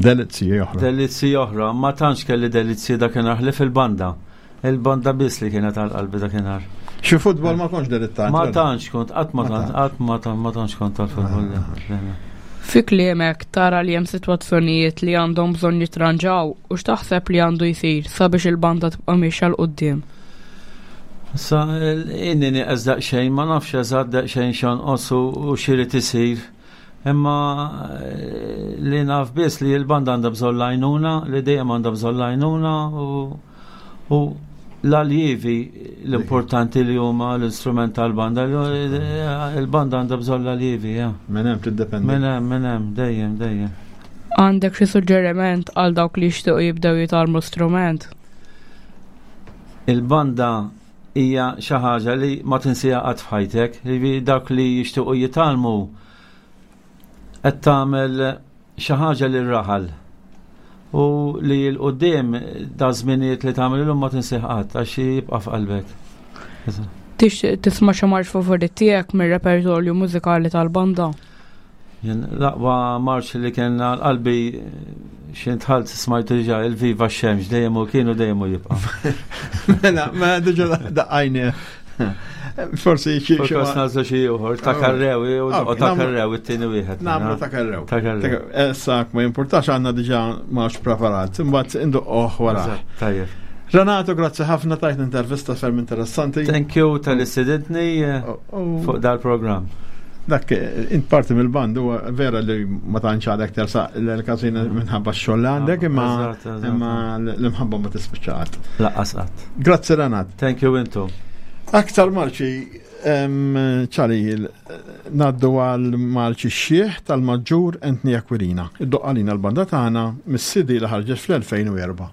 Delizzi oħra. Delizzi oħra, ma tantx kelli delizzi dakinhar ħlief il-banda. Il-banda biss li kienet għal qalbi dakinhar. Xi futbol ma kontx delittant. Ma tantx kont, qatt ma tantx, qatt ma tantx, ma tantx kont tal-futbol. Fi kliemek tara li hemm sitwazzjonijiet li għandhom bżonn jitranġaw u x'taħseb li għandu jsir sabiex il-banda tibqa' miexja 'l quddiem? Sa inni nieqes daqsxejn, ma nafx eżatt daqsxejn x'jonqos u x'irid isir. Imma eh, li naf biss li l-banda għandha bżonn l-għajnuna, li dejjem għandha bżonn l-għajnuna u, u l-aljivi l-importanti li huma l-instrument tal-banda, il-banda għandha bżonn l-aljivi, ja. Minn hemm tiddependi. Minn hemm, minn hemm, dejjem, dejjem. Għandek xi suġġeriment għal dawk li jixtiequ jibdew jitgħallmu strument? Il-banda hija xi ħaġa li ma tinsiha qatt f'ħajtek. Jiġifieri dawk li jixtiequ jitgħallmu qed tagħmel xi ħaġa lil raħal u li l quddiem da żminijiet li tagħmel illum ma tinsih qatt għax jibqa' f'qalbek. Tixtieq tisma' xi marx favorit tiegħek mir-repertorju mużikali tal-banda? Jien l-aqwa marċ li kien għal qalbi xejn tħalt smajtu diġà il-Viva x-Xemx dejjem u kienu dejjem u jibqa'. Mela, mela diġà daqqajni. Forsi xi xi nażlu xi ieħor ta' oh. karrew u ta' karrew it-tieni wieħed. Nagħmlu ta' karrew. Ta' karrew. Issa ma jimpurtax għandna diġà marċ preparat, imbagħad induqqoh wara. Tajjeb. Renato, grazzi ħafna tajt intervista ferm interessanti. Thank you tal-istedintni eh, oh, oh. fuq dal-programm. Dak, eh, int parti mill-band huwa vera li ma tantx għadek tersaq l-każin minħabba x-xogħol li għandek, imma imma l-imħabba ma tispiċċa qatt. Laqqas qatt. Grazzi Renat. Thank you intom. Aktar marċi ċali naddu għal marċi xieħ tal-maġġur Anthony Aquilina. Id-doqqalina l-banda tagħna mis-CD li ħarġet fl-2004.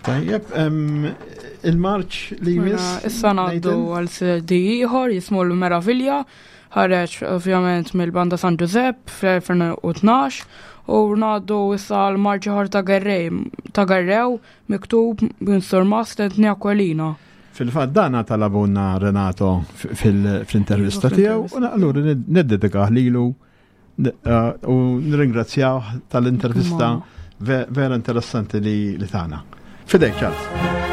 Tajjeb, il-marċ li Mela, jmiss. Issa ngħaddu għal CD ieħor jismu l-Meravilja, ħareġ ovvjament mill-Banda San Giuseppe fl-2012 u ngħaddu issa għal marċ ieħor ta' Gerrej ta' Gerrew miktub minn Sur Mast Anthony Aquilina. Fil-fatt dana talabunna Renato fl-intervista tiegħu u allura niddedikah lilu u nirringrazzjaw tal-intervista vera interessanti li tagħna. Fidejk, Charles.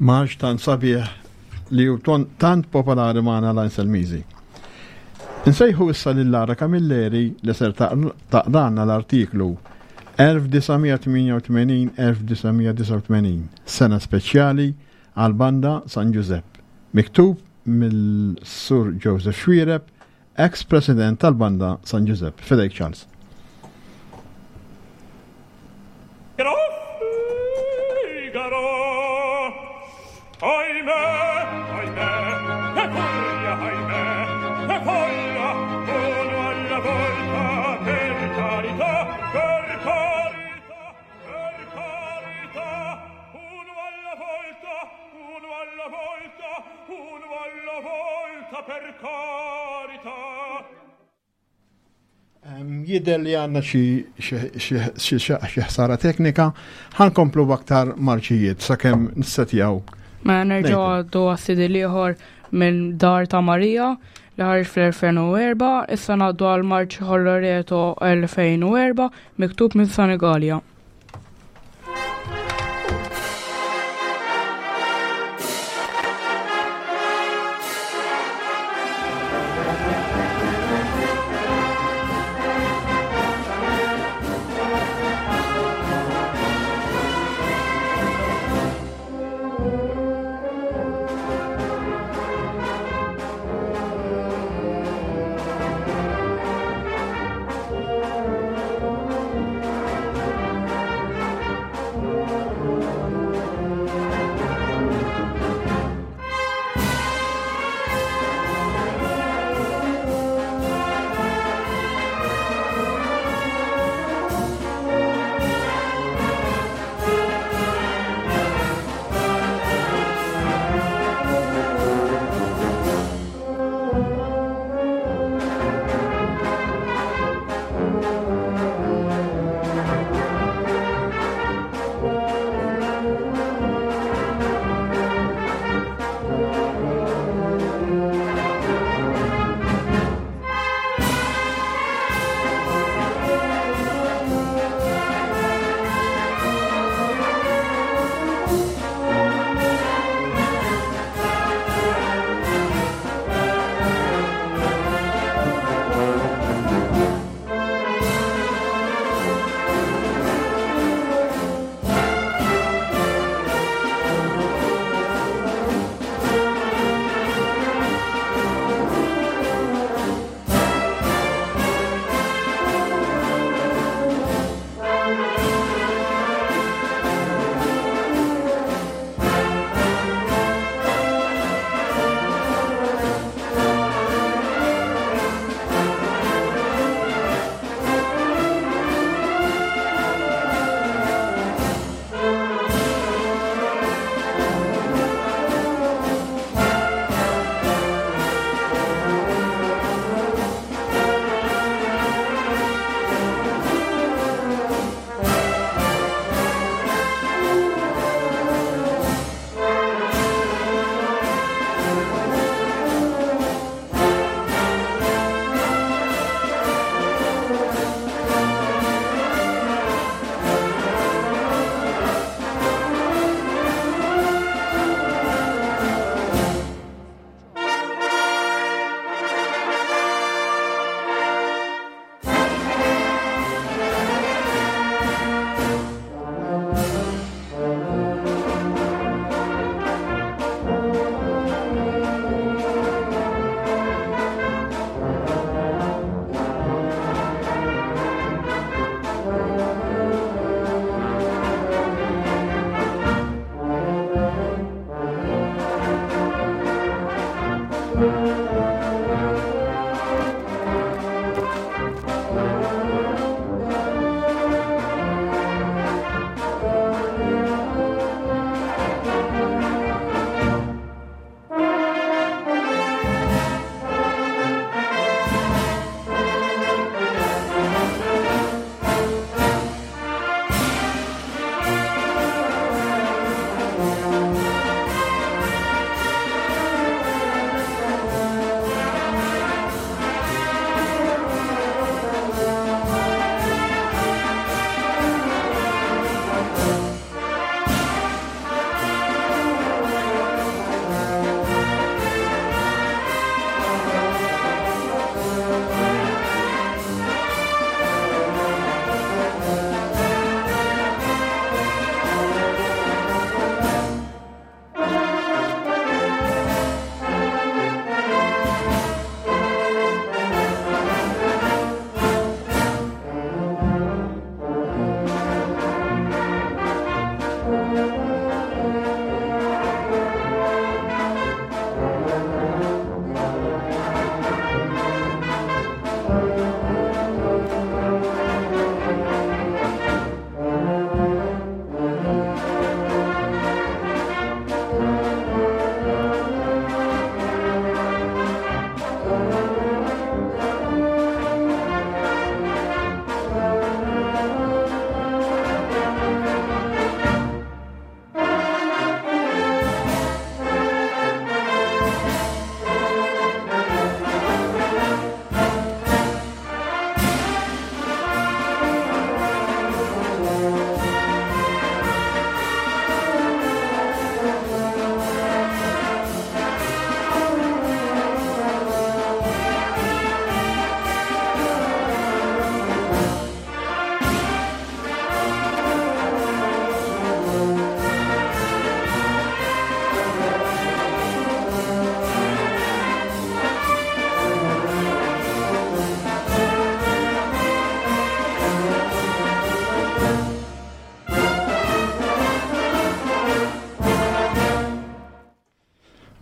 Marx tant sabiħ li hu tant popolari magħna l-Anselmiżi. Insejħu issa lil Lara Camilleri li ser taqralna l-artiklu 1988-1989, sena speċjali għall-Banda San Ġużepp, miktub mill-Sur Joseph Xuereb, ex-President tal-Banda San Ġużepp. Fidejk Charles. Jidher li għandna xi ħsara teknika, ħankomplu b'aktar marċijiet sakemm nissetjaw. Ma mela, nerġgħu għaddu għas-sidi l-ieħor minn Dar ta' Marija li ħarġ fl-2004, issa ngħaddu għal Marċ Holloreto 2004 miktub minn Sanigalia.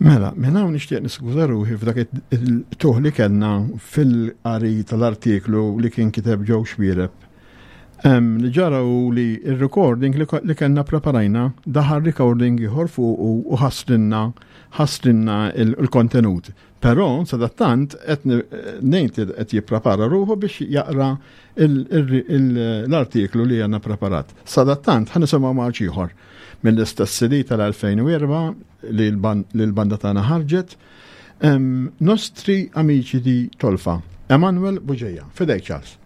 Mela, minn hawn nixtieq niskuża ruħi f'dak il-tuħ li kellna fil-qari tal-artiklu li kien kiteb Joe Xuereb. Li ġara hu li il-recording li kellna preparajna daħal recording ieħor fuq u ħassrinna ħassrinna il-kontenut. Però sadattant qed ngħid li qed jipprepara ruħu biex jaqra l-artiklu li għandna preparat. Sadattant ħa nisimgħu marċ ieħor mill-istess CD tal-2004 li l-banda tagħna ħarġet. Nostri Amici di Tolfa, Emanuel Bugeja. Fidejk Charles.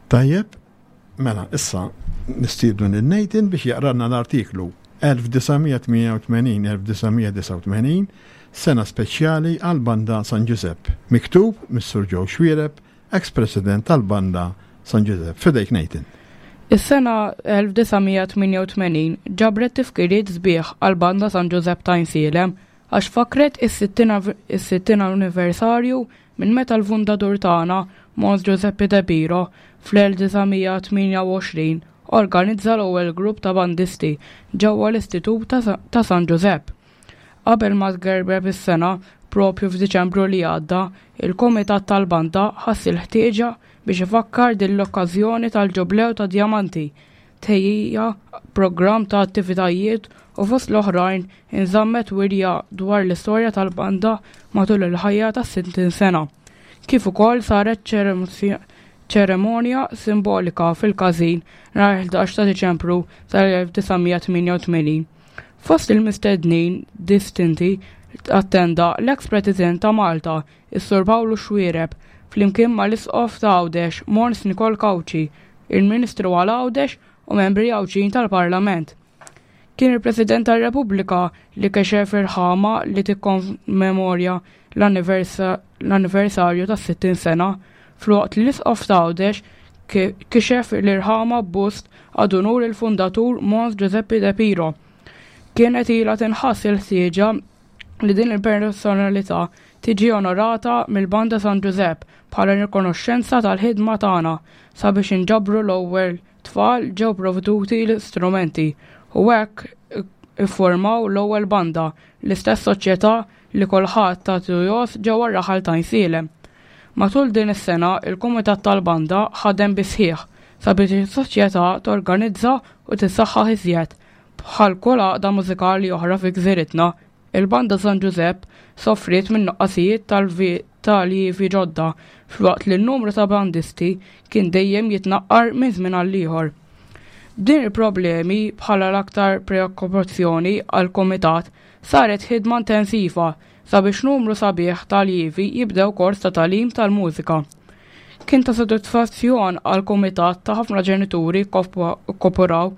Tajjeb, mela issa nistiednu lil Nathan biex jaqralna l-artiklu 1988-1989 sena speċjali għall-Banda San Ġużepp, miktub mis-Sur Joe Xuereb, ex-President tal-Banda San Ġużepp. F'idejk Nathan. Is-sena 1988 ġabret tifkiriet sbieħ għall-Banda San Ġużepp t'Għajnsielem għax fakkret is-60 anniversarju minn meta l-fundatur tagħna, Mons Giuseppe De Piro, fl-1928 organizza l-ewwel grupp ta' bandisti ġewwa l-Istitut ta' San Ġużepp. Qabel ma tgerbeb is-sena, proprju f'Diċembru li għadda, il-Kumitat tal-Banda ħass il-ħtieġa biex ifakkar din l-okkażjoni tal-Ġublew tad-Djamanti, tħejjija programm ta' attivitajiet u fost l-oħrajn inżammet wirja dwar l-istorja tal-banda matul il-ħajja tas-60 sena. Kif ukoll saret ċerimonja simbolika fil-każin nhar 11 ta' Diċembru tal-1988. Fost il-mistednin distinti attenda l-eks President ta' Malta, is-Sur Pawlu Xuereb, flimkien mal-Isqof ta' Għawdex, Mons Nikol Cauchi, il-Ministru għal Għawdex u membri Għawdxin tal-Parlament. Kien il-President tar-Repubblika li kexef irħama li tikkommemorja l-anniversarju tas-60 sena, filwaqt li l-Isqof ta' Għawdex kixef l-irħama b'bust ad unur il-fundatur Mons Giuseppe De Piro. Kienet ilha tinħass il-ħtieġa li din il-personalità tiġi onorata mill-Banda San Ġużepp bħala rikonoxxenza tal-ħidma tagħna sabiex inġabru l-ewwel tfal ġew provduti l-istrumenti u hekk iffurmaw l-ewwel banda, l-istess soċjetà li kulħadd tagħtu jgħożż ġewwa r-raħal ta' Għajnsielem. Matul din is-sena il-Kumitat tal-Banda ħadem bis-sħiħ sabiex is-soċjetà torganizza u tissaħħaħ iżjed. Bħal kull għaqda mużikali oħra fi gżiritna, il-Banda San Ġużepp sofriet minn nuqqasijiet ta' alljievi ġodda filwaqt li n-numru ta' bandisti kien dejjem jitnaqqar minn żmien għall-ieħor. B'din il-problemi bħala l-aktar preokkupazzjoni għall-Kumitat, saret ħidma intensiva sabiex numru sabiħ ta' alljievi jibdew kors ta' tagħlim tal-mużika. Kien ta' sodisfazzjon għall-Kumitat ta' ħafna ġenituri kkoperaw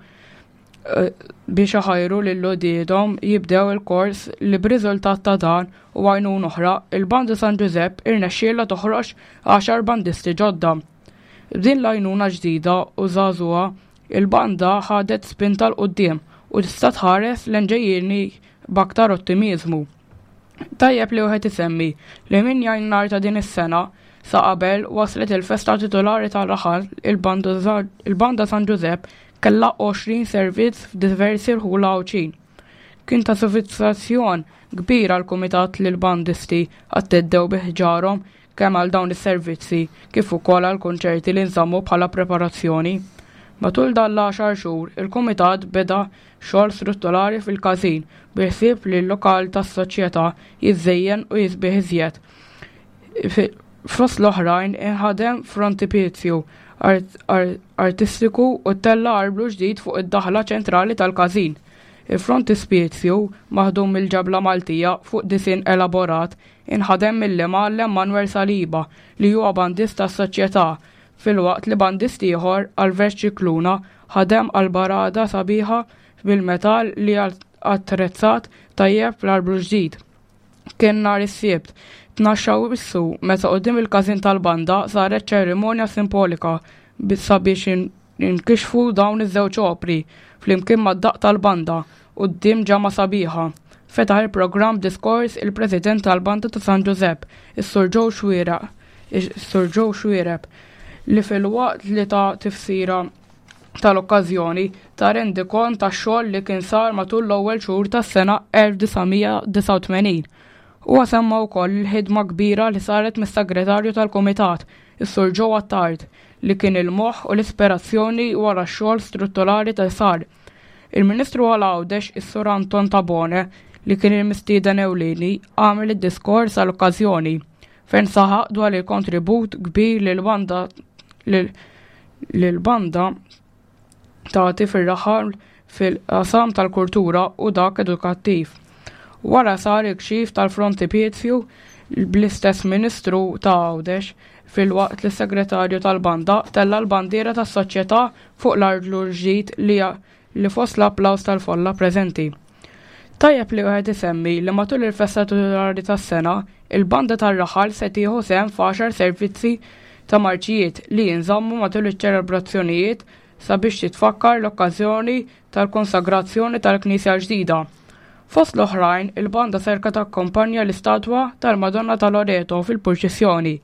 biex iħajru lil uliedhom jibdew il-kors li b'riżultat ta' dan u għajnuna oħra, il-Banda San Ġużepp irnexxielha toħroġ għaxar bandisti ġodda. B'din l-għajnuna ġdida u żagħżugħa, il-banda ħadet spinta 'l quddiem u tista' tħares lejn ġejjieni b'aktar ottimiżmu. Tajjeb li wieħed isemmi li minn Jannar ta' din is-sena sa qabel waslet il-festa titulari tar-raħal il-Banda San Ġużepp kellha 20 servizz f'diversi rħula Għawdxin. Kien ta' sodisfazzjon kbir għall-kumitat li l-bandisti atteddew bi ħġarhom kemm għal dawn is-servizzi kif ukoll għall-kunċerti li nżammu bħala preparazzjoni. Matul dan l-għaxar xhur il-kumitat beda xogħol strutturali fil-każin bil-ħsieb li l-lokal tas-soċjetà jiżżejjen u jisbieħ iżjed. Fost l-oħrajn inħadem frontipizju artistiku u ttella' arblu ġdid fuq id-daħla ċentrali tal-każin. Il-frontispizju, maħdum mill-ġebla Maltija fuq disinn elaborat, inħadem mill-imgħallem Manuel Saliba li huwa bandist tas-soċjetà filwaqt li bandist ieħor, Albert Scicluna, ħadem għal barada sabiħa bil-metall li attrezzat tajjeb l-arblu ġdid. Kien nhar is-Sibt, 12 Awwissu, meta quddiem il-każin tal-banda saret ċerimonja simpolika sabiex inkixfu dawn iż-żewġ opri flimkien mad-daqq tal-banda quddiem ġemgħa sabiħa. Fetaħ il-programm b'diskors il-President tal-Banda ta' San Ġużepp, is-Sur Joe Xuereb, is-Sur Joe Xuereb, li filwaqt li ta tifsira. Tal-okkażjoni ta rendikont tax-xogħol li kien sar matul l-ewwel xhur tas-sena 1989. Huwa semma wkoll il-ħidma kbira li saret mis-Segretarju tal-Kumitat, is-Sur Joe Attard, li kien il-moħħ u l-ispirazzjoni wara x-xogħol strutturali li sar. Il-Ministru għal Għawdex, is-Sur Anton Tabone, li kien il-mistieden ewlieni, għamel id-diskors għall-okkażjoni, fejn saħaq dwar il-kontribut kbir li l-banda li l-banda tagħti fir-raħal fil-qasam tal-kultura u dak edukattiv. Wara sar il-kxif tal-frontipizju bl-istess Ministru ta' Għawdex filwaqt li s-Segretarju tal-Banda tella' l-bandiera tas-Soċjetà fuq l-arblu l-ġdid li li fost l-applaws tal-folla preżenti. Tajjeb li wieħed isemmi li matul il-festa titulari tas-sena, il-banda tar-raħal se tieħu sehem f'għaxar servizzi ta' marċijiet li jinżammu matul iċ-ċelebrazzjonijiet sabiex titfakkar l-okkażjoni tal-konsagrazzjoni tal-knisja l-ġdida. Fost l-oħrajn, il-banda serka takkompanja l-istatwa tal-Madonna ta' Loreto fil-purċissjoni,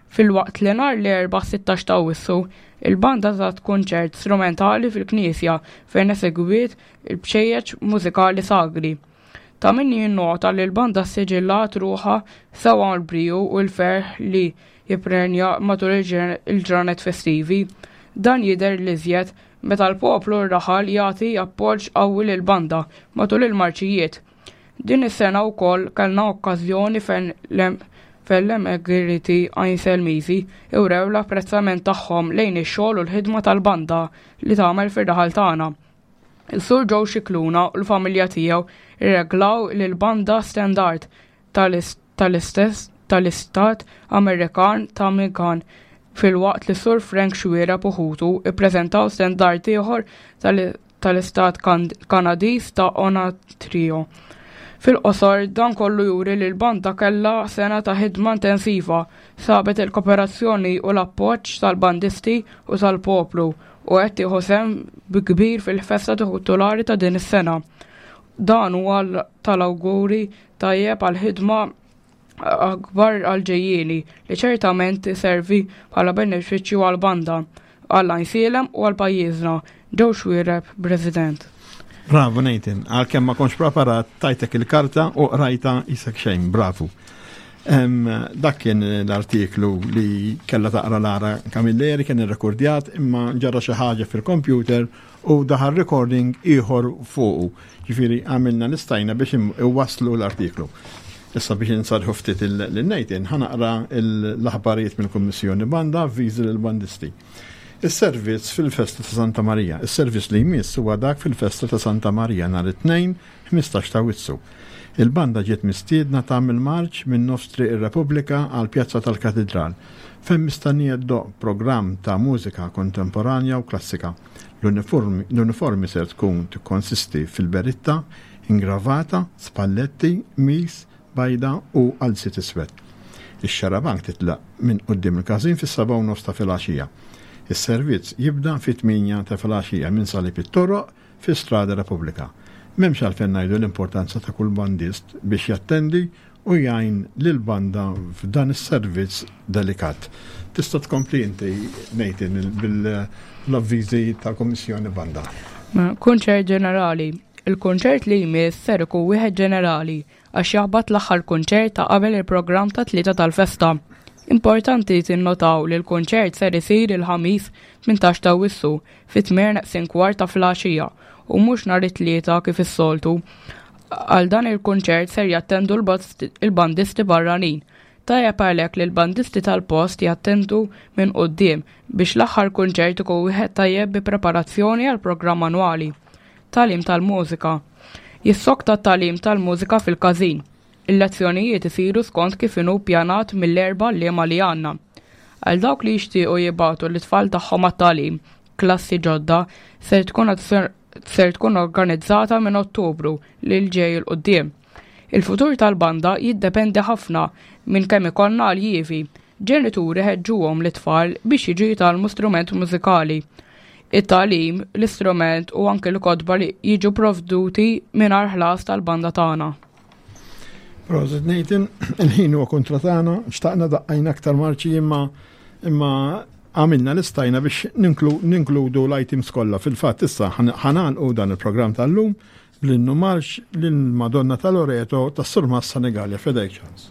filwaqt li nhar l-Erbgħa 16 ta' Awwissu, il-banda tat kunċert strumentali fil-knisja fejn esegwiet il-bċejjeċ mużikali sagri. Ta' min jinnota li l-banda ssiġillat ruħha sewwa mal-briju u l-ferħ li jipprenja matul il-ġranet festivi. Dan jidher l-iżjed meta l-poplu r-raħal jagħti appoġġ qawwi lill-banda matul il-marċijiet. Din is-sena wkoll kellna okkażjoni fejn l-emigriti Għajnselmiżi wrew l-apprezzament tagħhom lejn ix-xogħol u l-ħidma tal-banda li tagħmel fir-raħal tagħna. Is-Sur Joe Scicluna u l-familja tiegħu rreglaw lill-banda standard tal-istess tal-istat Amerikan ta' Michigan filwaqt li s-Sur Frank Xuereb u ħutu ppreżentaw standard ieħor tal-istat Kanadiż ta' Ontario. Fil-qosor, dan kollu juri li l-banda kellha sena ta' ħidma intensiva, sabet il-koperazzjoni u l-appoġġ tal-bandisti u tal-poplu u qed tieħu sehem bi kbir fil-festa titulari ta' din is-sena. Dan huwa tal-awguri tajjeb għal ħidma akbar għall-ġejjieni li ċertament iservi bħala benefiċċju għall-banda, għal Għajnsielem u għal pajjiżna. Joe Xuereb, President. Bravu Nathan, għalkemm ma kontx preparat tajtek il-karta u qrajta isek xejn, bravu. Dak kien l-artiklu li kella taqra Lara Camilleri kien irrekordjat imma ġara xi ħaġa fil-computer u daħal recording ieħor fuqu. Ġifieri għamilna li stajna biex iwasslu l-artiklu. Issa biex insarħu ftit lil-Nathan, ħanaqra l-aħbarijiet mill-Kummissjoni Banda avviżi lill-bandisti. Is-servizz fil-festa ta' Santa Marija. Is-servizz li jmiss huwa dak fil-festa ta' Santa Marija nhar it-Tnejn 15 ta' Awwissu. Il-banda ġiet mistiedna tagħmel marċ minn nofs Triq ir-Repubblika għall-Pjazza tal-Katidral, fejn mistennija ddoqq programm ta' mużika kontemporanja u klassika. L-uniformi ser tkun tikkonsisti fil-beritta, ingravata, spalletti, qmis, bajda u qalziet iswed. Ix-xarabank titlaq minn quddiem il-każin fis-sebgħa u nofs ta' filgħaxija. Is-servizz jibda fit-tmienja ta' filgħaxija minn Salib it-Toroq fi Strada Repubblika. M'hemmx għalfejn ngħidu l-importanza ta' kull bandist biex jattendi u jgħin lill-banda f'dan is-servizz delikat. Tista' tkompli inti, Nathan, bil-avviżi tal-Kummissjoni Banda. Kunċert ġenerali. Il-kunċert li jmiss ser ikun wieħed ġenerali għax jaħbat l-aħħar kunċert ta' qabel il-programm ta' tlieta tal-festa. Importanti tinnotaw li l-kunċert ser isir il-Ħamis 18 ta' Awwissu fit-tmien neqsin kwart ta' filgħaxija u mhux nhar it-Tlieta kif is-soltu. Għal dan il-kunċert ser jattendu l-bandisti barranin. Tajjeb għalhekk li l-bandisti tal-post jattendu minn quddiem biex l-aħħar kunċert ikun wieħed tajjeb bi preparazzjoni għall-programm annwali. Tagħlim tal-mużika. Jissokta t-tagħlim tal-mużika fil-każin. Il-lezzjonijiet isiru skont kif inhu ppjanat mill-erba' għalliema li għandna. Għal dawk li jixtiequ jibagħtu lit-tfal tagħhom għat-tagħlim, klassi ġodda ser tkun ser tkun organizzata minn Ottubru li l-ġej 'il quddiem. Il-futur tal-banda jiddependi ħafna minn kemm ikollna aljievi. Ġenituri ħeġġuhom lit-tfal biex jiġu jitgħallmu strument mużikali. It-tagħlim, l-istrument u anke l-kotba li jiġu provduti mingħajr ħlas tal-banda tagħna. Prosit Nathan, il-ħin huwa kontra tagħna, xtaqna daqqajna aktar marċi imma imma għamilna li stajna biex ninkludu l-items kollha. Fil-fatt issa ħanalqu dan il-programm tal-lum bl-innu marx lill-Madonna ta' Loreto tas-Surmast Senegalja. Fedejk Charles.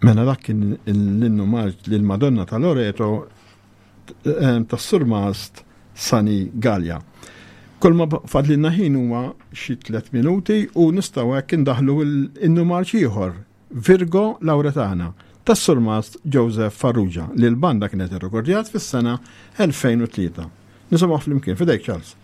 Mela dak kien l-innu marġ lil Madonna ta' Loreto eh, tas-Surmast Sani Gallia. Kull ma fadlilna ħin huwa xi tliet minuti u nistgħu hekk indaħlu l-innu marġ ieħor Virgo Lauretana tas-Surmast Joseph Farrugia li l-banda kienet irrekordjat fis-sena 2003. Nisimgħu flimkien fidejk Charles.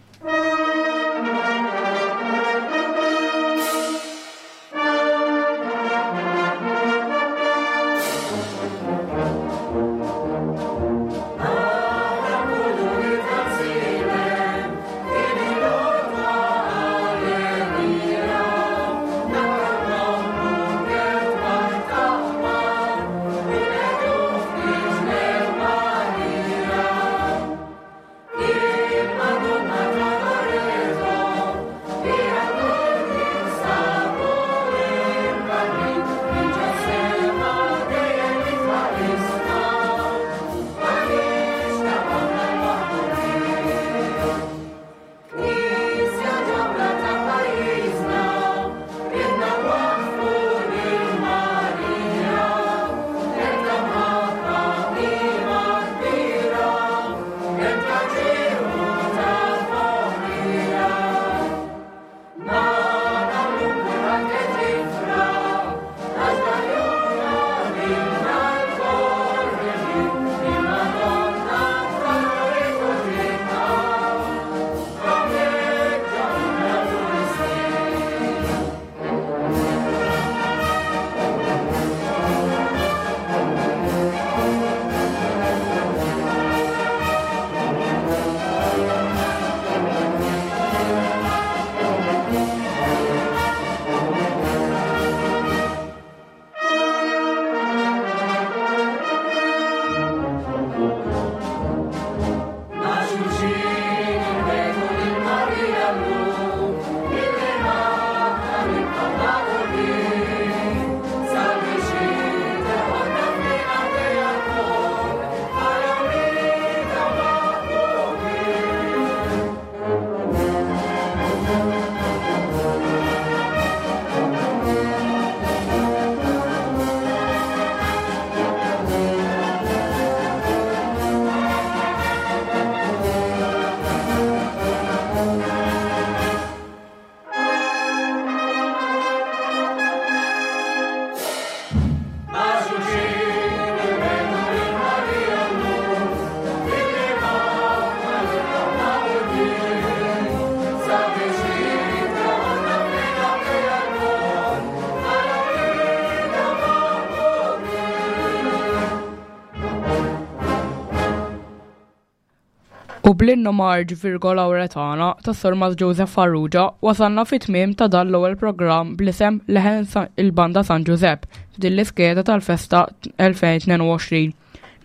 U bl-innu marġ Virgo Lauretana tas-Surmast Joseph Farrugia wasalna fit-tmiem ta' dan l-ewwel programm bl-isem Leħen il-Banda San Ġużepp f'din l-iskeda tal-festa 2022.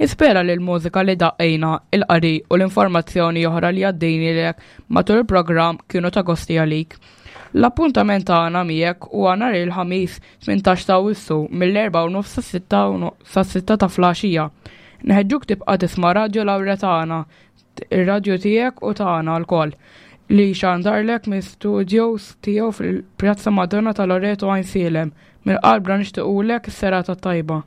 Nispera li l-mużika li daqqejna, il-qari u l-informazzjoni oħra li għaddejnilek matul il-programm kienu ta' gosti għalik. L-appuntament tagħna miegħek huwa nhar il-Ħamis 18 ta' Awwissu mill-4:30 sas-6 ta' flaxija. Nħeġġuk tibqa' tisma' Radju Lawretana, ir-radju tiegħek u tagħna lkoll, li jxandarlek minn studios tiegħu fil-Pjazza Madonna ta' Loreto Għajnsielem. Mill-qalbna nixtiequlek is-serata t-tajba.